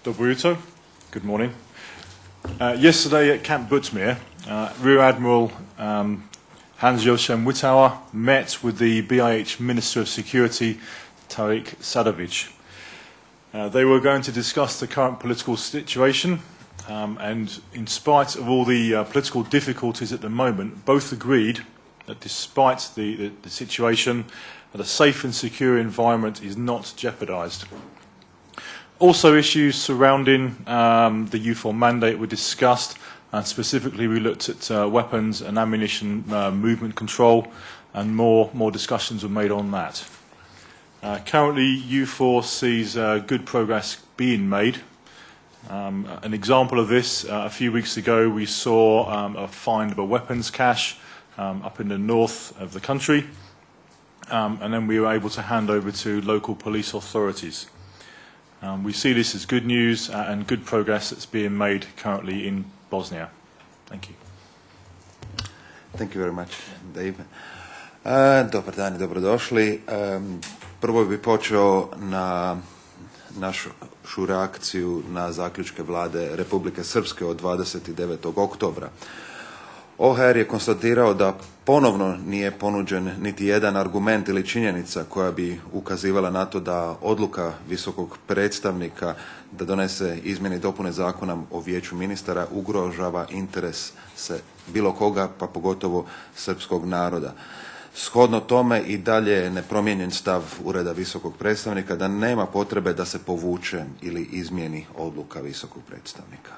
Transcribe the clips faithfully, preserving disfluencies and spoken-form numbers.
Dobro jutro. Good morning. Uh, yesterday at Camp Butzmir, uh, Rear Admiral um, Hans-Joachim Wittauer met with the B I H Minister of Security, Tariq Sadovic. Uh, they were going to discuss the current political situation, um, and in spite of all the uh, political difficulties at the moment, both agreed that despite the, the, the situation, that a safe and secure environment is not jeopardised. Also, issues surrounding um, the U four mandate were discussed, and specifically we looked at uh, weapons and ammunition uh, movement control, and more, more discussions were made on that. Uh, currently, U four sees uh, good progress being made. Um, an example of this, uh, a few weeks ago we saw um, a find of a weapons cache um, up in the north of the country, um, and then we were able to hand over to local police authorities. Um, we see this as good news uh, and good progress that's being made currently in Bosnia. Thank you. Thank you very much, Dave. Uh, dobar dan i dobrodošli. Um, prvo bih počeo na našu reakciju na zaključke vlade Republike Srpske od dvadeset devetog oktobra. O H R je konstatirao da ponovno nije ponuđen niti jedan argument ili činjenica koja bi ukazivala na to da odluka visokog predstavnika da donese izmjene i dopune zakona o vijeću ministara ugrožava interes se bilo koga, pa pogotovo srpskog naroda. Shodno tome i dalje je nepromijenjen stav Ureda visokog predstavnika da nema potrebe da se povuče ili izmijeni odluka visokog predstavnika.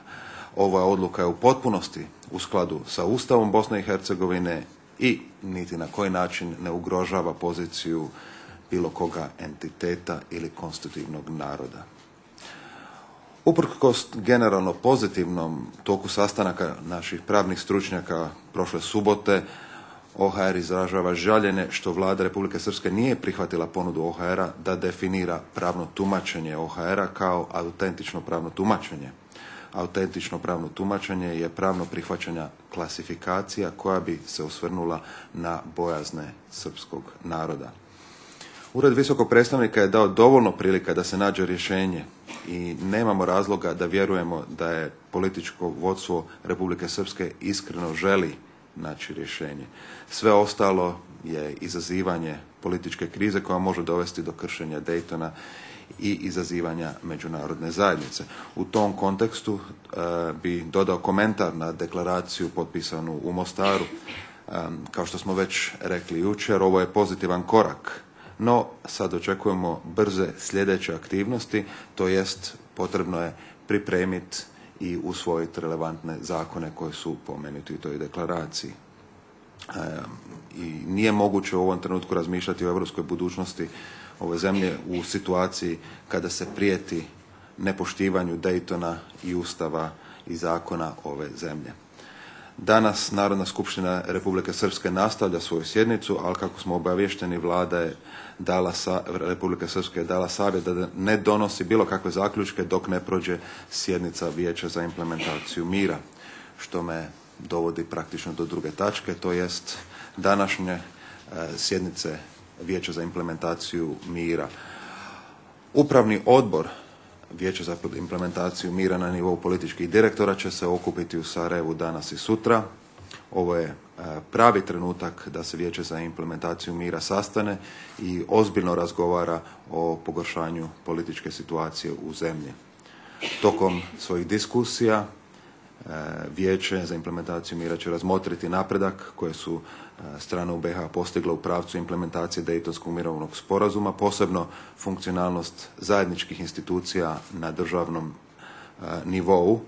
Ova odluka je u potpunosti u skladu sa Ustavom Bosne i Hercegovine i niti na koji način ne ugrožava poziciju bilo koga entiteta ili konstitutivnog naroda. Uprkos generalno pozitivnom toku sastanaka naših pravnih stručnjaka prošle subote, O H R izražava žaljenje što vlada Republike Srpske nije prihvatila ponudu O H R-a da definira pravno tumačenje O H R-a kao autentično pravno tumačenje. Autentično pravno tumačenje je pravno prihvaćanja klasifikacija koja bi se osvrnula na bojazne srpskog naroda. Ured visokog predstavnika je dao dovoljno prilika da se nađe rješenje i nemamo razloga da vjerujemo da je političko vodstvo Republike Srpske iskreno želi naći rješenje. Sve ostalo je izazivanje političke krize koja može dovesti do kršenja Daytona i izazivanja međunarodne zajednice. U tom kontekstu e, bi dodao komentar na deklaraciju potpisanu u Mostaru. E, kao što smo već rekli jučer, ovo je pozitivan korak, no sad očekujemo brze sljedeće aktivnosti, to jest potrebno je pripremiti i usvojiti relevantne zakone koji su pomenuti u toj deklaraciji. E, I nije moguće u ovom trenutku razmišljati o europskoj budućnosti ove zemlje u situaciji kada se prijeti nepoštivanju Daytona i Ustava i zakona ove zemlje. Danas Narodna skupština Republike Srpske nastavlja svoju sjednicu, ali kako smo obavješteni, vlada je dala sa, Republike Srpske je dala savjet da ne donosi bilo kakve zaključke dok ne prođe sjednica Vijeća za implementaciju mira, što me dovodi praktično do druge tačke, to jest današnje e, sjednice Vijeća za implementaciju mira. Upravni odbor Vijeća za implementaciju mira na nivou političkih direktora će se okupiti u Sarajevu danas i sutra. Ovo je pravi trenutak da se Vijeće za implementaciju mira sastane i ozbiljno razgovara o pogoršanju političke situacije u zemlji. Tokom svojih diskusija Vijeće za implementaciju mira će razmotriti napredak koje su strane u B iH postigle u pravcu implementacije Daytonskog mirovnog sporazuma, posebno funkcionalnost zajedničkih institucija na državnom nivou,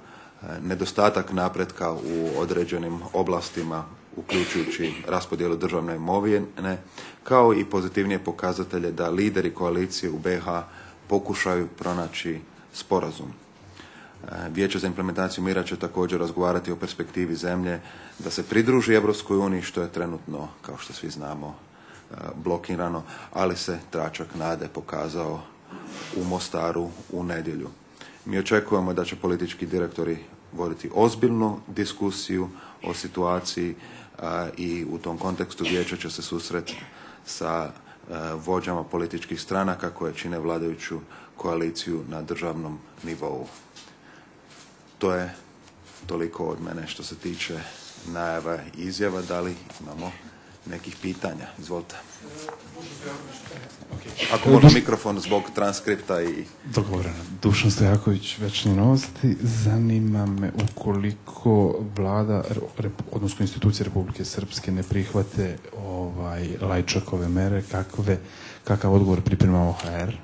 nedostatak napretka u određenim oblastima uključujući raspodjelu državne imovine, kao i pozitivnije pokazatelje da lideri koalicije u B iH pokušaju pronaći sporazum. Vijeće za implementaciju mira će također razgovarati o perspektivi zemlje da se pridruži Europskoj uniji, što je trenutno, kao što svi znamo, blokirano, ali se tračak nade pokazao u Mostaru u nedjelju. Mi očekujemo da će politički direktori voditi ozbiljnu diskusiju o situaciji a, i u tom kontekstu vijeće će se susreti sa a, vođama političkih stranaka koje čine vladajuću koaliciju na državnom nivou. To je toliko od mene što se tiče najava i izjava. Da li imamo nekih pitanja? Izvolite. Ako može mikrofon zbog transkripta i... Dogovoreno. Dušan Stojaković, Večni Novosti. Zanima me ukoliko vlada, odnosno institucije Republike Srpske ne prihvate ovaj, Lajčakove mere, kakve, kakav odgovor priprema O H R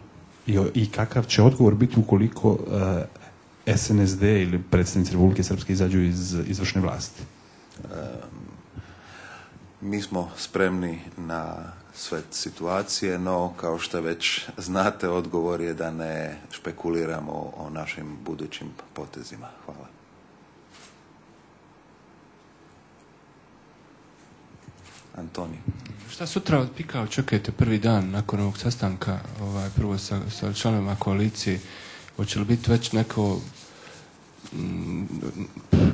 i, i kakav će odgovor biti ukoliko uh, S N S D ili predstavnici Republike Srpske izađu iz izvršne vlasti? Mi smo spremni na sve situacije, no kao što već znate, odgovor je da ne špekuliramo o našim budućim potezima. Hvala. Antoni. Šta sutra od Pika očekujete prvi dan nakon ovog sastanka, ovaj, prvo sa, sa članovima koalicije? Hoće li biti već neko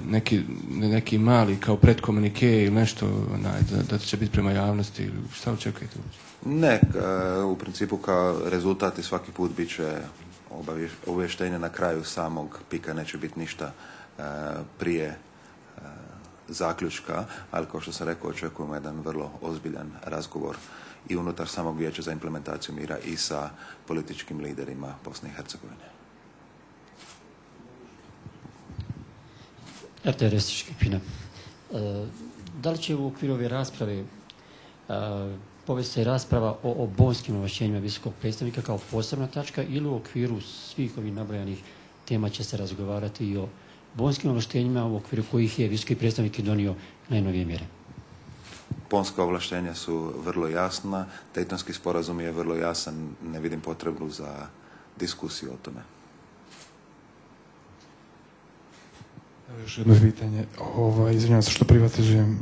neki, neki mali kao predkomunike ili nešto onaj, da, da će biti prema javnosti ili šta očekujete? Ne, u principu kao rezultati svaki put bit će obavještenje na kraju samog Pika, neće biti ništa prije zaključka, ali kao što sam rekao, očekujemo jedan vrlo ozbiljan razgovor i unutar samog Vijeća za implementaciju mira i sa političkim liderima Bosne i Hercegovine. R T R Škipina. Da li će u okviru ove rasprave povesti se rasprava o, o bonskim ovlašćenjima visokog predstavnika kao posebna tačka ili u okviru svih ovih nabrojanih tema će se razgovarati i o bonskim ovlaštenjima u okviru kojih je visoki predstavnik donio najnovije mjere? Bonska ovlaštenja su vrlo jasna, Dejtonski sporazum je vrlo jasan, ne vidim potrebu za diskusiju o tome. Evo još jedno pitanje. Ovaj, izvinjavam se što privatizujem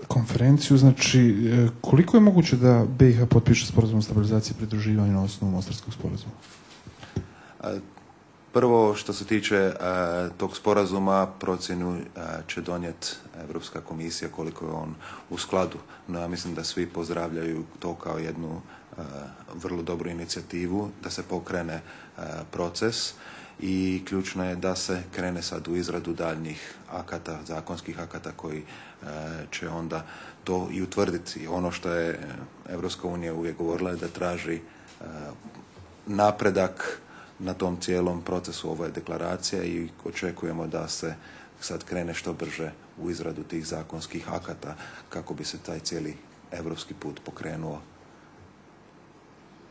konferenciju. Znači, koliko je moguće da B i H potpiše sporazum o stabilizaciji i pridruživanju na osnovu Mostarskog sporazuma? Prvo, što se tiče uh, tog sporazuma, procjenu uh, će donijeti Europska komisija koliko je on u skladu. No, ja mislim da svi pozdravljaju to kao jednu uh, vrlo dobru inicijativu, da se pokrene uh, proces i ključno je da se krene sad u izradu daljnjih akata, zakonskih akata koji uh, će onda to i utvrditi. Ono što je Europska unija uvijek govorila je da traži uh, napredak na tom cijelom procesu. Ovo je deklaracija i očekujemo da se sad krene što brže u izradu tih zakonskih akata kako bi se taj cijeli evropski put pokrenuo.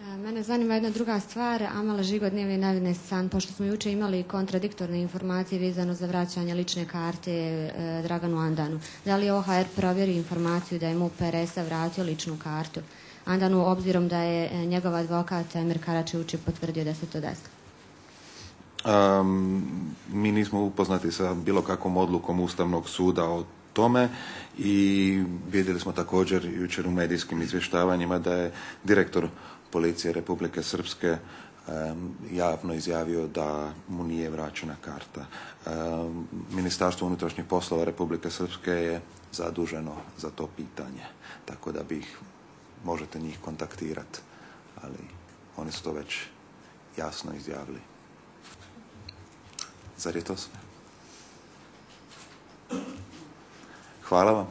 Mene zanima jedna druga stvar. Amala Žigo, Dnevni novine San, pošto smo jučer imali kontradiktorne informacije vezano za vraćanje lične karte e, Draganu Andanu. Da li je O H R provjeri informaciju da je MUP R S-a vratio ličnu kartu Andanu, obzirom da je njegov advokat Emir Karačević potvrdio da se to desilo? Um, mi nismo upoznati sa bilo kakvom odlukom Ustavnog suda o tome i vidjeli smo također jučer u medijskim izvještavanjima da je direktor policije Republike Srpske um, javno izjavio da mu nije vraćena karta. Um, Ministarstvo unutrašnjih poslova Republike Srpske je zaduženo za to pitanje, tako da bih možete njih kontaktirati, ali oni su to već jasno izjavili. Zar je to sve? Hvala vam.